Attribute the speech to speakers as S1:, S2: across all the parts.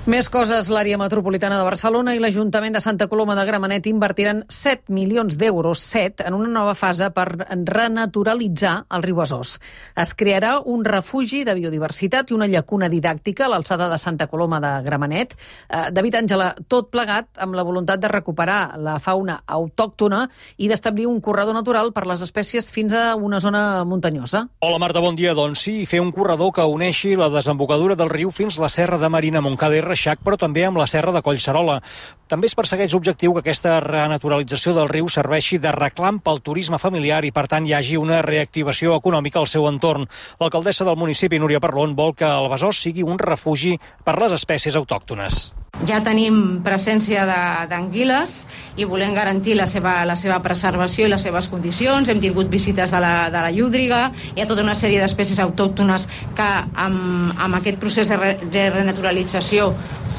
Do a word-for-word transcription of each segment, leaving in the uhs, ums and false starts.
S1: Més coses. L'àrea metropolitana de Barcelona i l'Ajuntament de Santa Coloma de Gramenet invertiran set milions d'euros, set, en una nova fase per renaturalitzar el riu Besòs. Es crearà un refugi de biodiversitat i una llacuna didàctica a l'alçada de Santa Coloma de Gramenet. Eh, David Àngela, tot plegat amb la voluntat de recuperar la fauna autòctona i d'establir un corredor natural per les espècies fins a una zona muntanyosa.
S2: Hola Marta, bon dia. Doncs sí, fer un corredor que uneixi la desembocadura del riu fins la Serra de Marina, Montcada i Reixac, però també amb la Serra de Collserola. També es persegueix l'objectiu que aquesta renaturalització del riu serveixi de reclam pel turisme familiar i, per tant, hi hagi una reactivació econòmica al seu entorn. L'alcaldessa del municipi, Núria Parlon, vol que el Besòs sigui un refugi per les espècies autòctones.
S3: Ja tenim presència d'anguiles i volem garantir la seva, la seva preservació i les seves condicions. Hem tingut visites de la, de la llúdriga, hi ha tota una sèrie d'espècies autòctones que amb, amb aquest procés de, re, de renaturalització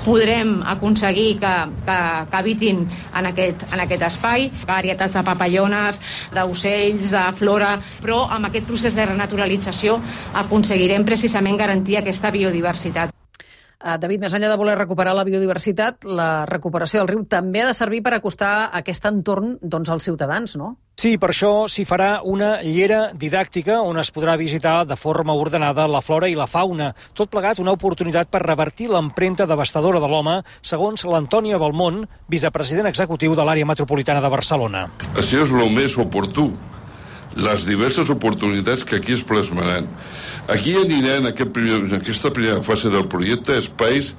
S3: podrem aconseguir que, que, que habitin en aquest, en aquest espai. Varietats de papallones, d'ocells, de flora, però amb aquest procés de renaturalització aconseguirem precisament garantir aquesta biodiversitat.
S1: David, més enllà de voler recuperar la biodiversitat, la recuperació del riu també ha de servir per acostar aquest entorn doncs, als ciutadans, no?
S2: Sí, per això s'hi farà una llera didàctica on es podrà visitar de forma ordenada la flora i la fauna. Tot plegat una oportunitat per revertir l'empremta devastadora de l'home, segons l'Antònia Balmont, vicepresident executiu de l'àrea metropolitana de Barcelona.
S4: Això és el més oportú, les diverses oportunitats que aquí es plasmaran. Aquí aniran en, aquest primer, en aquesta primera fase del projecte espais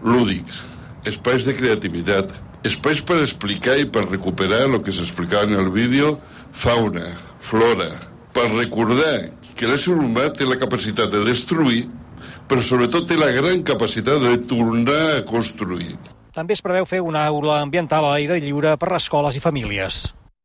S4: lúdics, espais de creativitat, espais per explicar i per recuperar el que s'explicava en el vídeo, fauna, flora, per recordar que l'ésser humà té la capacitat de destruir, però sobretot té la gran capacitat de tornar a construir.
S2: També es preveu fer una aula ambiental a l'aire lliure per a escoles i famílies.